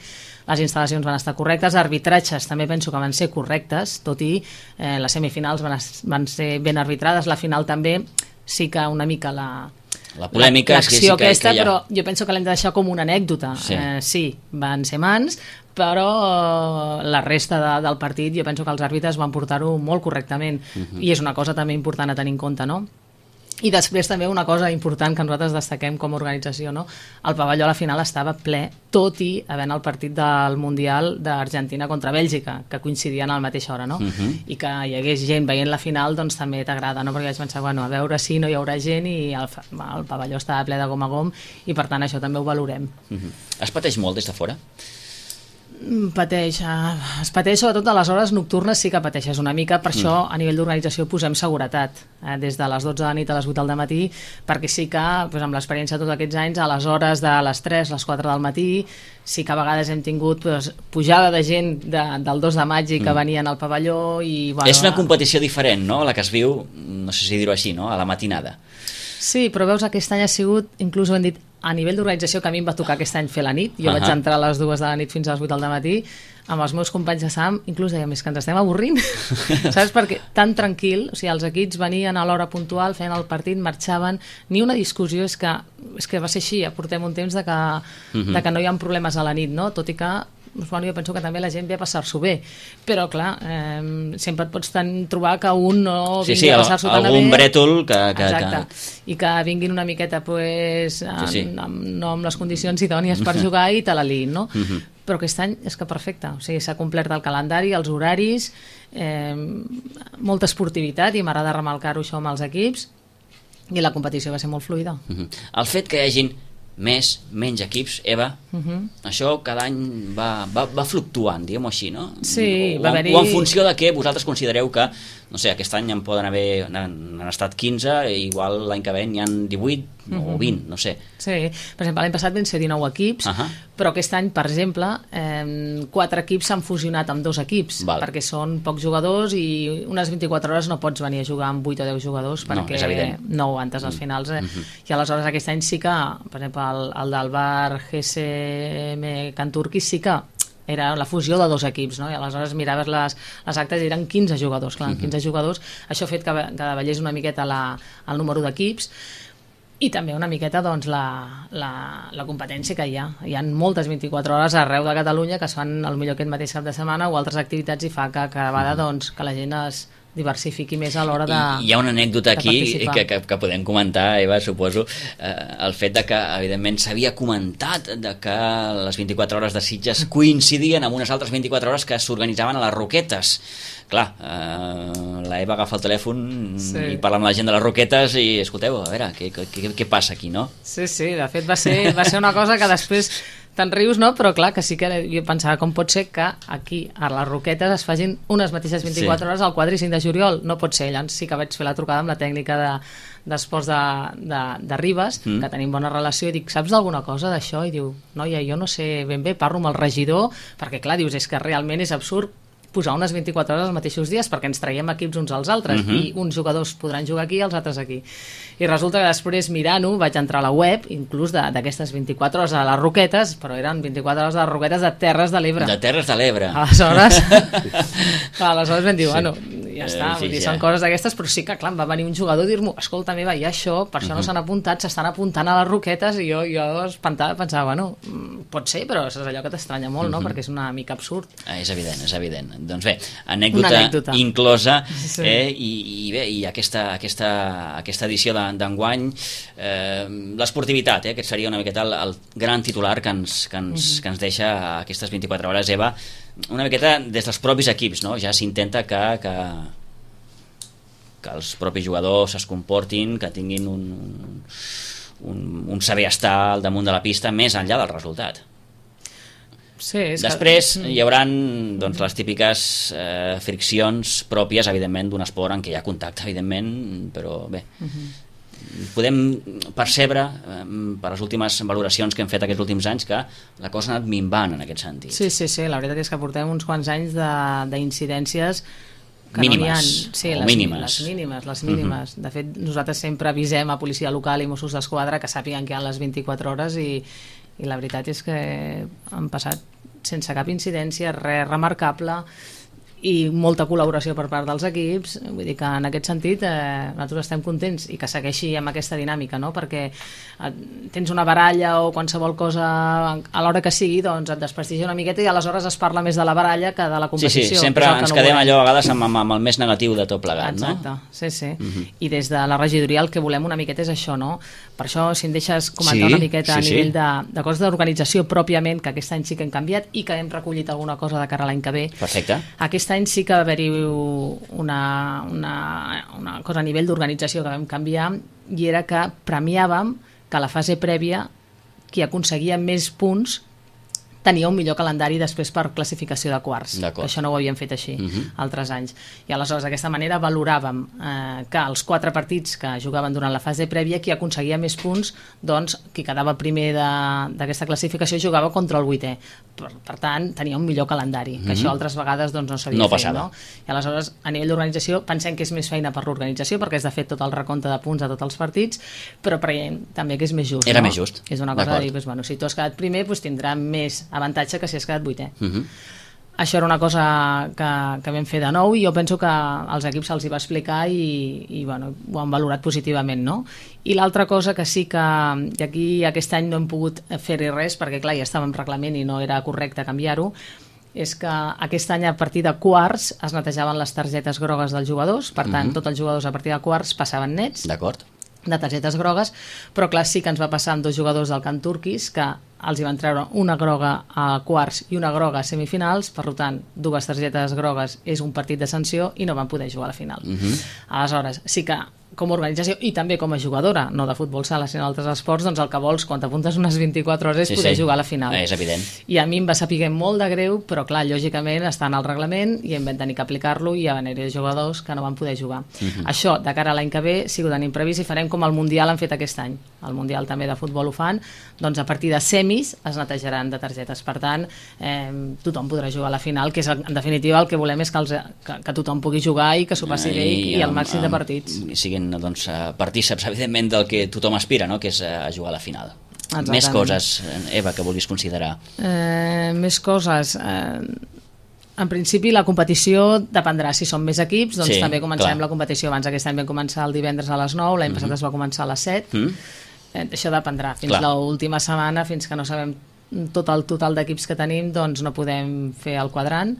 Les instal·lacions van estar correctes, arbitratges també penso que van ser correctes, tot i eh, les semifinals van, van ser ben arbitrades, la final també sí que una mica la la polèmica l'acció sí que, aquesta, que ha... però jo penso que l'hem de deixar com una anècdota. Sí, eh, sí van ser mans, però la resta de, del partit jo penso que els àrbitres van portar-ho molt correctament, uh-huh. i és una cosa també important a tenir en compte, no? I després també una cosa important que nosaltres destaquem com a organització, no? El pavelló a la final estava ple, tot i havent el partit del Mundial d'Argentina contra Bèlgica, que coincidien a la mateixa hora, no? Uh-huh. I que hi hagués gent veient la final, doncs també t'agrada, no? Perquè vaig pensar, bueno, a veure si no hi haurà gent, i el, el pavelló estava ple de gom a gom, i per tant això també ho valorem. Uh-huh. Es pateix molt des de fora? Pateix, es pateix sobretot a les hores nocturnes, sí que pateixes una mica, per això a nivell d'organització posem seguretat eh, des de les dotze de la nit a les vuit del matí, perquè sí que doncs, amb l'experiència de tots aquests anys, a les hores de les tres, les quatre del matí, sí que a vegades hem tingut doncs, pujada de gent de, del dos de maig i que mm. venien al pavelló i, bueno, és una competició diferent, no?, la que es viu, no sé si dir-ho així, no?, a la matinada. Sí, però veus, aquest any ha sigut, inclús ho hem dit, a nivell d'organització, que a mi em va tocar aquest any fer la nit, jo uh-huh. vaig entrar a les dues de la nit fins a les vuit del matí, amb els meus companys de Sam, inclús dèiem, és que ens estem avorrint, saps? Perquè tan tranquil, o sigui, els equips venien a l'hora puntual, feien el partit, marxaven, ni una discussió, és que, és que va ser així, ja portem un temps de que, uh-huh. de que no hi ha problemes a la nit, no? Tot i que bueno, jo penso que també la gent ve a passar-s'ho bé, però clar, eh, sempre et pots ten, trobar que un no sí, vingui sí, a passar-s'ho tan bé. Algun brètol que... que, Exacte, que... i que vinguin una miqueta pues, amb, sí, sí. Amb, no amb les condicions idònies per jugar i te la liïn, no? Uh-huh. Però aquest any és que perfecte, o sigui, s'ha complert el calendari, els horaris, eh, molta esportivitat, i m'agrada remarcar-ho això amb els equips, i la competició va ser molt fluida. Uh-huh. El fet que hi hagin més, menys equips, Eva, uh-huh. això cada any va, va, va fluctuant, diguem-ho així, no? Sí, o, va haver-hi... O en funció de què vosaltres considereu que no sé, aquest any en poden haver, han estat quinze, i igual l'any que ve n'hi ha divuit o vint, no sé. Sí, per exemple, l'any passat van ser dinou equips, uh -huh. però aquest any, per exemple, eh, quatre equips s'han fusionat amb dos equips, Val. perquè són pocs jugadors i unes vint-i-quatre hores no pots venir a jugar amb vuit o deu jugadors perquè no, no aguantes als finals. Eh? Uh -huh. I aleshores aquest any sí que, per exemple, el, el del Bar G S M Can Turquis sí que era la fusió de dos equips, no? I aleshores miraves les, les actes i eren quinze jugadors, clar, uh -huh. quinze jugadors, això ha fet que, que davallés una miqueta la, el número d'equips i també una miqueta doncs, la, la, la competència que hi ha. Hi ha moltes vint-i-quatre hores arreu de Catalunya que es fan potser aquest mateix cap de setmana o altres activitats i fa que cada vegada doncs, que la gent es diversifiqui més a l'hora de I hi ha una anècdota aquí que, que, que podem comentar, Eva, suposo, eh, el fet de que, evidentment, s'havia comentat de que les vint-i-quatre hores de Sitges coincidien amb unes altres vint-i-quatre hores que s'organitzaven a les Roquetes. Clar, eh, la Eva agafa el telèfon sí. i parla amb la gent de les Roquetes i, escolteu, a veure, què, què, què passa aquí, no? Sí, sí, de fet va ser, va ser una cosa que després te'n rius, no? Però clar, que sí que jo pensava com pot ser que aquí a les Roquetes es facin unes mateixes vint-i-quatre sí. hores al quatre i cinc de juliol, no pot ser. Llavors sí que vaig fer la trucada amb la tècnica de, d'esports de, de, de Ribes, mm. que tenim bona relació, i dic, saps d'alguna cosa d'això? I diu, noia, jo no sé ben bé, parlo amb el regidor, perquè clar, dius, és que realment és absurd posar unes vint-i-quatre hores els mateixos dies perquè ens traiem equips uns als altres, uh-huh. i uns jugadors podran jugar aquí i els altres aquí. I resulta que després, mirant-ho, vaig entrar a la web, inclús d'aquestes vint-i-quatre hores a les Roquetes, però eren vint-i-quatre hores de les Roquetes de Terres de l'Ebre. De Terres de l'Ebre. Aleshores, aleshores vam dir, sí. bueno, ja està, eh, sí, dir, sí, són ja. coses d'aquestes, però sí que, clar, va venir un jugador a dir-m'ho, escolta, meva, hi ha això, per això uh-huh. no s'han apuntat, s'estan apuntant a les Roquetes, i jo, jo espantada pensava, bueno, pot ser, però és allò que t'estranya molt, uh-huh. no?, perquè és una mica absurd. Ah, és evident, és evident. Doncs bé, anècdota, anècdota. inclosa sí. eh, i, i bé, i aquesta, aquesta, aquesta edició d'enguany eh, l'esportivitat, eh, que seria una miqueta el, el gran titular que ens, que, ens, uh-huh. que ens deixa aquestes vint-i-quatre hores, Eva, una miqueta des dels propis equips, no? Ja s'intenta que, que, que els propis jugadors es comportin, que tinguin un, un, un saber estar al damunt de la pista més enllà del resultat. Sí, després que... hi haurà doncs, les típiques eh, friccions pròpies, evidentment, d'un esport en què hi ha contacte, evidentment, però bé, uh-huh. podem percebre eh, per les últimes valoracions que hem fet aquests últims anys que la cosa ha anat minvant en aquest sentit. Sí, sí, sí, la veritat és que portem uns quants anys d'incidències mínimes, no sí, o les, mínimes. Les mínimes, les mínimes. Uh-huh. De fet, nosaltres sempre avisem a policia local i Mossos d'Esquadra que sàpiguen que hi ha les vint-i-quatre hores i, i la veritat és que han passat sense cap incidència, res remarcable i molta col·laboració per part dels equips, vull dir que en aquest sentit eh, nosaltres estem contents i que segueixi amb aquesta dinàmica, no? Perquè eh, tens una baralla o qualsevol cosa a l'hora que sigui, doncs et desprestigia una miqueta i aleshores es parla més de la baralla que de la competició. Sí, sí, sempre ens no quedem volem. allò a vegades amb, amb, amb el més negatiu de tot plegat, Exacte, no? sí, sí. Uh-huh. I des de la regidoria el que volem una miqueta és això, no? Per això, si em deixes comentar sí, una miqueta sí, a nivell sí. de, de coses d'organització pròpiament, que aquest any sí que hem canviat i que hem recollit alguna cosa de cara a l'any que ve. Perfecte. Aquest any sí que va haver-hi una, una, una cosa a nivell d'organització que vam canviar i era que premiàvem que a la fase prèvia qui aconseguia més punts tenia un millor calendari després per classificació de quarts. Això no ho havíem fet així uh-huh. altres anys. I aleshores d'aquesta manera valoràvem eh, que els quatre partits que jugaven durant la fase prèvia qui aconseguia més punts, doncs qui quedava primer d'aquesta classificació jugava contra el vuitè. Per, per tant, tenia un millor calendari, uh-huh. que això altres vegades doncs, no s'havia no fet. Passava. No? I aleshores, a nivell d'organització, pensem que és més feina per l'organització perquè és de fet tot el recompte de punts a tots els partits, però creiem també que és més just. Era no? més just. És una cosa de dir, doncs, bueno, si tu has quedat primer, doncs tindrà més avantatge que si has quedat vuitè. Uh-huh. Això era una cosa que, que vam fer de nou i jo penso que als equips se'ls hi va explicar i, i bueno, ho han valorat positivament, no? I l'altra cosa que sí que i aquí aquest any no hem pogut fer-hi res perquè clar, ja estàvem reglament i no era correcte canviar-ho, és que aquest any a partir de quarts es netejaven les targetes grogues dels jugadors, per tant, uh-huh. tots els jugadors a partir de quarts passaven nets. D'acord. De targetes grogues, però clar, sí que ens va passar amb dos jugadors del Can Turquis que els hi van treure una groga a quarts i una groga a semifinals, per tant, dues targetes grogues és un partit de sanció i no van poder jugar a la final. Uh-huh. Aleshores, sí que com a organització i també com a jugadora, no de futbol sala sinó d'altres esports, doncs el que vols quan t'apuntes unes vint-i-quatre hores és sí, poder sí. jugar a la final. És evident. I a mi em va saber molt de greu, però clar, lògicament està en el reglament i em vam tenir que aplicar-lo i hi va haver jugadors que no van poder jugar. Uh-huh. Això, de cara a l'any que ve, si ho tenim previst i farem com el Mundial han fet aquest any. El Mundial també de futbol ho fan, doncs a partir de semis es netejaran de targetes. Per tant, eh, tothom podrà jugar a la final, que és en definitiva el que volem és que, els, que, que tothom pugui jugar i que s'ho passi bé i, i el màxim de partits. Siguin doncs, partíceps, evidentment, del que tothom aspira, no? Que és a jugar a la final. Exactament. Més coses, Eva, que vulguis considerar? Eh, més coses... Eh, en principi la competició dependrà si són més equips, doncs sí, també comencem clar. La competició abans. Aquest any vam començar el divendres a les nou, l'any mm-hmm. passat es va començar a les set. Mm. Eh, això dependrà. Fins l'última setmana, fins que no sabem tot el total d'equips que tenim, doncs no podem fer el quadrant.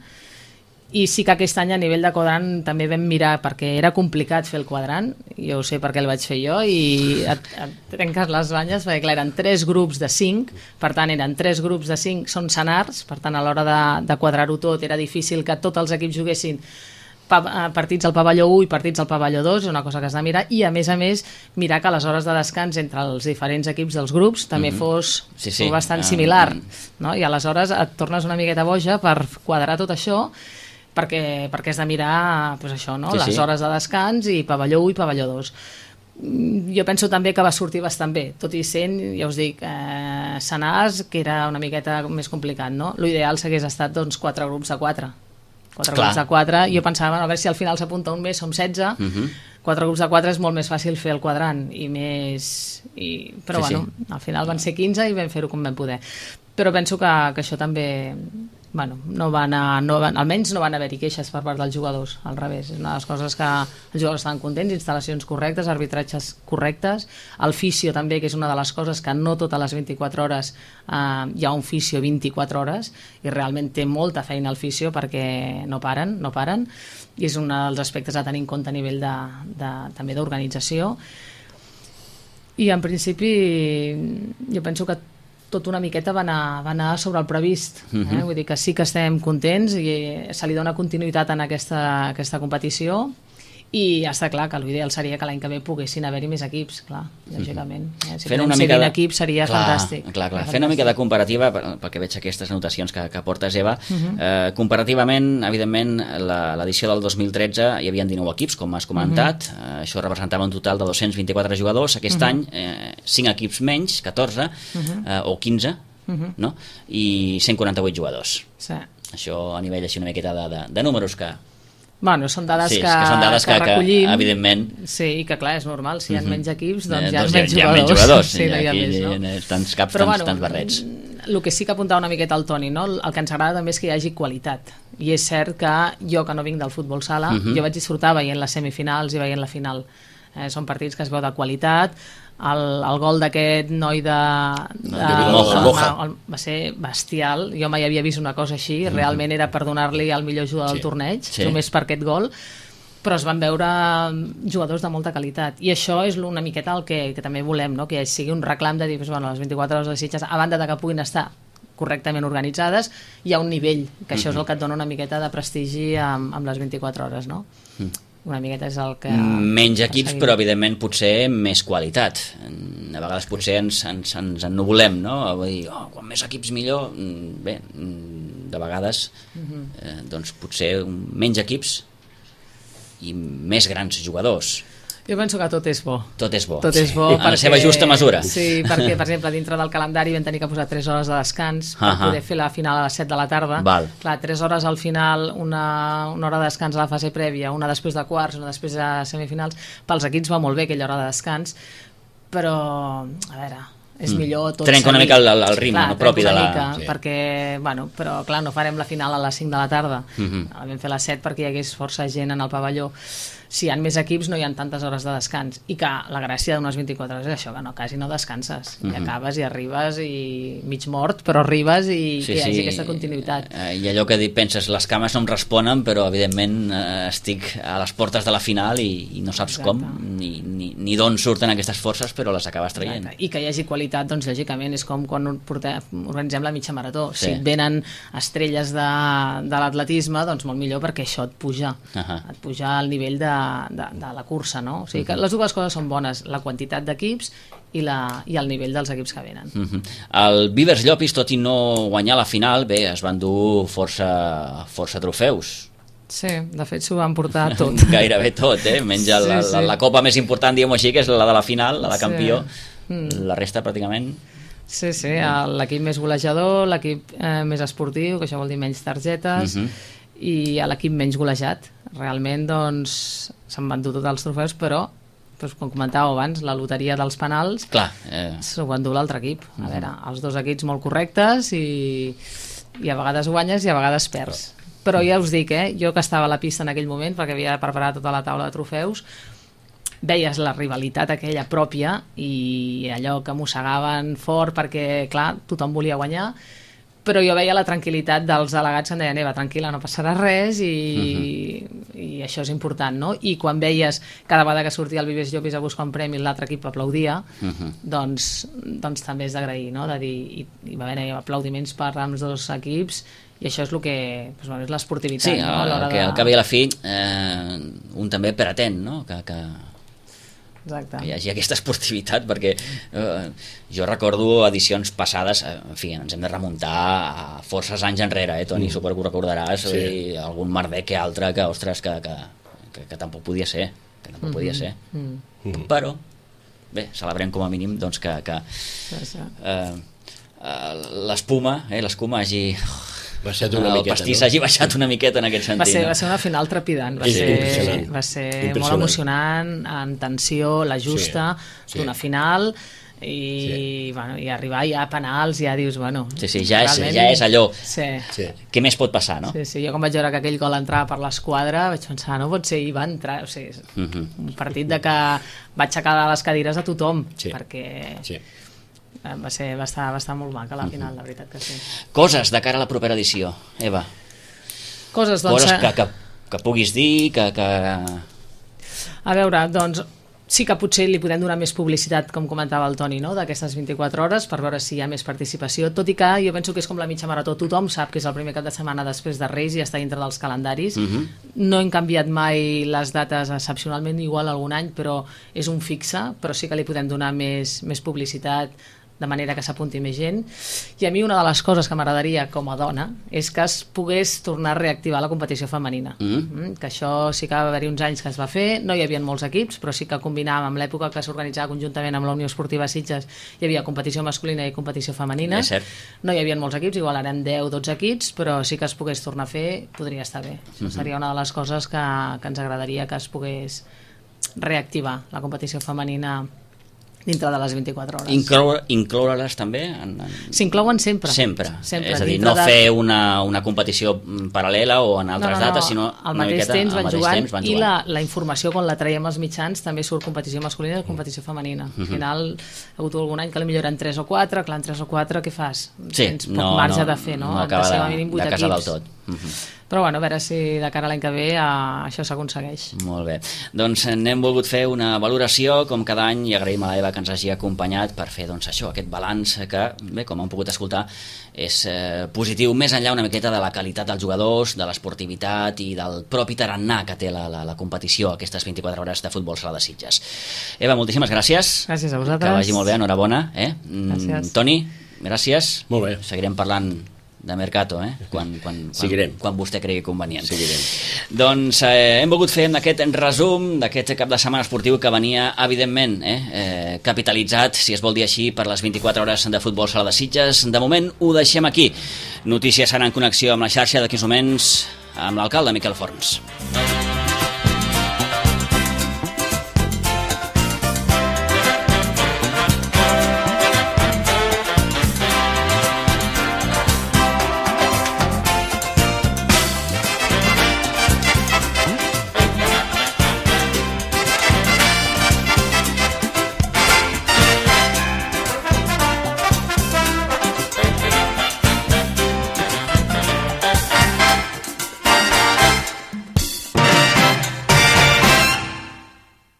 I sí que aquest any a nivell de quadrant també vam mirar, perquè era complicat fer el quadrant, jo ho sé perquè el vaig fer jo, i et, et trenques les banyes, perquè clar, eren tres grups de cinc, per tant eren tres grups de cinc, són senars, per tant a l'hora de, de quadrar-ho tot era difícil que tots els equips juguessin partits al pavelló u i partits al pavelló dos, és una cosa que has de mirar, i a més a més mirar que les hores de descans entre els diferents equips dels grups també mm-hmm. fos, sí, sí. fos bastant similar, no? I aleshores et tornes una miqueta boja per quadrar tot això, perquè, perquè has de mirar pues això, no? Sí, les sí. hores de descans i pavelló u i pavelló dos. Jo penso també que va sortir bastant bé, tot i sent, ja us dic, eh, senars, que era una miqueta més complicat, no? L'ideal s'hagués estat doncs quatre grups de quatre. Quatre Clar. grups de quatre, jo pensava, bueno, a veure si al final s'apunta un més, som setze, uh-huh. quatre grups de quatre és molt més fàcil fer el quadrant, i més... I... Però sí, bueno, sí. al final van ser quinze i vam fer-ho com vam poder. Però penso que, que això també... Bueno, no van a, no van, almenys no van haver-hi queixes per part dels jugadors, al revés, és una de les coses que els jugadors estaven contents, instal·lacions correctes, arbitratges correctes, el fisio també, que és una de les coses que no totes les vint-i-quatre hores eh, hi ha un fisio vint-i-quatre hores i realment té molta feina el fisio perquè no paren, no paren, i és un dels aspectes a tenir en compte a nivell de, de, també d'organització. I en principi jo penso que tot una miqueta va anar, va anar sobre el previst. Eh? Uh-huh. Vull dir que sí que estem contents i se li dona continuïtat en aquesta, aquesta competició i està clar que l'ideal seria que l'any que ve poguessin haver-hi més equips, clar, lògicament. Eh? Si fent una mica de... equips seria clar, fantàstic. Clar, clar. Fent una mica de comparativa, perquè veig aquestes anotacions que, que portes, Eva, uh-huh. eh, comparativament, evidentment, l'edició del dos mil tretze hi havia dinou equips, com has comentat, uh-huh. eh, això representava un total de dos-cents vint-i-quatre jugadors, aquest uh-huh. any eh, cinc equips menys, catorze, uh-huh. eh, o quinze, uh-huh. no? I cent quaranta-vuit jugadors. Sí. Això a nivell així una miqueta de, de, de números que... Bueno, són dades, sí, que, que, són dades que, que recollim. Que, evidentment... Sí, i que clar, és normal, si hi ha uh-huh. menys equips, doncs eh, hi ha doncs menys hi ha, jugadors. Hi ha menys jugadors, sí, no hi ha aquí, més, no? Hi ha tants caps, Però, tants, bueno, tants barrets. El que sí que apuntava una miqueta al Toni, no? El que ens agrada també és que hi hagi qualitat. I és cert que jo, que no vinc del futbol sala, uh-huh. jo vaig disfrutar veient les semifinals i veient la final. Eh, són partits que es veu de qualitat. El, el gol d'aquest noi de, de, de Moja, Moja. El, va ser bestial, jo mai havia vist una cosa així, uh-huh. realment era per donar-li el millor jugador sí. del torneig, sí. només per aquest gol, però es van veure jugadors de molta qualitat i això és una miqueta el que, que també volem, no? Que sigui un reclam de dir, pues, bueno, les vint-i-quatre hores de Sitges, a banda de que puguin estar correctament organitzades, hi ha un nivell, que això uh-huh. és el que et dona una miqueta de prestigi amb, amb les vint-i-quatre hores, no? Uh-huh. Una miqueta és el que... Menys equips, però evidentment potser més qualitat. A vegades potser ens, ens, ens ennuvolem, no? Vull dir, oh, quan més equips millor. Bé, de vegades uh-huh. eh, doncs potser menys equips i més grans jugadors. Jo penso que tot és bo. Tot és bo. Tot és bo sí. perquè, en la seva justa mesura. Sí, perquè, per exemple, dintre del calendari vam tenir que posar tres hores de descans per uh-huh. poder fer la final a les set de la tarda. Val. Clar, tres hores al final, una, una hora de descans a la fase prèvia, una després de quarts, una després de semifinals. Pels equips va molt bé aquella hora de descans, però, a veure... és millor tot trenca una mica el, el ritme, clar, no, propi de la... Mica, sí. perquè, bueno, però clar, no farem la final a les cinc de la tarda, uh-huh. la vam fer a les set perquè hi hagués força gent en el pavelló. si hi ha més equips no hi ha tantes hores de descans, i que la gràcia d'unes vint-i-quatre hores és això, que no, quasi no descanses, uh -huh. i acabes i arribes i mig mort, però arribes i sí, hi hagi sí. aquesta continuïtat. I allò que penses, les cames no em responen, però evidentment eh, estic a les portes de la final i, i no saps Exacte. com ni, ni, ni d'on surten aquestes forces, però les acabes traient. Exacte. I que hi hagi qualitat, doncs lògicament és com quan portem, organitzem la mitja marató, sí. si et venen estrelles de, de l'atletisme, doncs molt millor, perquè això et puja, uh -huh. et puja al nivell de, de, de la cursa, no? O sigui que uh -huh. les dues coses són bones, la quantitat d'equips i, la, i el nivell dels equips que venen. Uh -huh. El Vivers Llopis, tot i no guanyar la final, bé, es van dur força, força trofeus. Sí, de fet s'ho van portar tot. Gairebé tot, eh? Menys sí, la, sí. La, la copa més important, diguem-ho així, que és la de la final, la de campió. Sí. Mm. La resta pràcticament... Sí, sí, l'equip més golejador, l'equip eh, més esportiu, que això vol dir menys targetes, uh -huh. i l'equip menys golejat. Realment, doncs, s'han venut tots els trofeus, però, doncs, com comentàveu abans, la loteria dels penals eh... s'ho va endur l'altre equip. A uh -huh. veure, els dos equips molt correctes i, i a vegades guanyes i a vegades perds. Però ja us dic, eh, jo que estava a la pista en aquell moment, perquè havia preparat tota la taula de trofeus, veies la rivalitat aquella pròpia i allò que mossegaven fort perquè, clar, tothom volia guanyar, però jo veia la tranquil·litat dels delegats que em deien, Eva, tranquil·la, no passarà res i, uh-huh. i això és important, no? I quan veies cada vegada que sortia el Vivers Llopis a buscar un premi l'altre equip aplaudia, uh-huh. doncs, doncs també és d'agrair, no? De dir, i, i va haver aplaudiments per als dos equips i això és el que doncs, bueno, és l'esportivitat. Sí, no? el, que, de... al cap i a la fi eh, un també pretén, no? Que, que, Exacte. que hi hagi aquesta esportivitat, perquè eh, jo recordo edicions passades, eh, en fi, ens hem de remuntar a forces anys enrere, eh, Toni, mm. suposo que ho recordaràs, sí. i algun merder que altre que, ostres, que, que, que, que tampoc podia ser, que tampoc mm-hmm. podia ser. Mm. Però, bé, celebrem com a mínim doncs, que, que eh, eh, l'espuma, eh, l'escuma hagi... baixat una el miqueta, pastís no? hagi baixat una miqueta en aquest sentit. Va ser, no? va ser una final trepidant, va sí, ser, va ser molt emocionant, en tensió, la justa sí, sí. d'una final, i, sí. bueno, i arribar ja a penals ja dius, bueno... Sí, sí, ja, és, ja és allò. Sí. Sí. Què més pot passar, no? Sí, sí, jo quan vaig veure que aquell gol entrava per l'esquadra vaig pensar, no pot ser, i va entrar, o sigui, uh -huh. un partit de que va aixecar les cadires a tothom, sí. perquè... Sí. Va, ser, va, estar, va estar molt maca la final, la veritat que sí. Coses de cara a la propera edició, Eva. Coses, doncs... Coses que, que, que puguis dir, que, que... A veure, doncs, sí que potser li podem donar més publicitat, com comentava el Toni, no? D'aquestes vint-i-quatre hores, per veure si hi ha més participació, tot i que jo penso que és com la mitja marató, tothom sap que és el primer cap de setmana després de Reis i està dintre dels calendaris. Uh-huh. No hem canviat mai les dates excepcionalment, igual algun any, però és un fixe, però sí que li podem donar més, més publicitat, de manera que s'apunti més gent. I a mi una de les coses que m'agradaria com a dona és que es pogués tornar a reactivar la competició femenina. Mm. Mm, que això sí que va haver-hi uns anys que es va fer, no hi havia molts equips, però sí que combinàvem amb l'època que s'organitzava conjuntament amb la Unió Esportiva Sitges, hi havia competició masculina i competició femenina. És cert. No hi havia molts equips, igual eren deu dotze equips, però sí que es pogués tornar a fer, podria estar bé. Mm-hmm. Seria una de les coses que, que ens agradaria que es pogués reactivar la competició femenina dintre de les vint-i-quatre hores. Incloure, incloure-les també? En, en... S'inclouen sempre. Sempre. sempre. És a dir, no de... fer una, una competició paral·lela o en altres no, no, no. dates, sinó al mateix miqueta, temps van jugant, temps van i la, la informació quan la traiem als mitjans també surt competició masculina i competició femenina. Al final ha hagut algun any que potser eren tres o quatre, clar, en tres o quatre què fas? Sí, Tens poc no, marge no, de fer, no? No acaba de, de, de casar del tot. Uh -huh. Però bueno, a veure si de cara a l'any que ve uh, això s'aconsegueix. Molt bé. Doncs n'hem volgut fer una valoració com cada any i agraïm a l'Eva que ens hagi acompanyat per fer doncs, això, aquest balanç que, bé, com han pogut escoltar, és eh, positiu més enllà una miqueta de la qualitat dels jugadors, de l'esportivitat i del propi tarannà que té la, la, la competició aquestes vint-i-quatre hores de futbol sala de Sitges. Eva, moltíssimes gràcies. Gràcies a vosaltres. Que vagi molt bé, enhorabona. Eh? Gràcies. Toni, gràcies. Molt bé. Seguirem parlant de Mercato, eh? quan, quan, quan, quan vostè cregui convenient. Seguirem. Doncs eh, hem volgut fer aquest resum d'aquest cap de setmana esportiu que venia, evidentment, eh, eh, capitalitzat, si es vol dir així, per les vint-i-quatre hores de futbol sala de Sitges. De moment ho deixem aquí. Notícies seran en connexió amb la xarxa d'aquí uns moments amb l'alcalde Miquel Forns.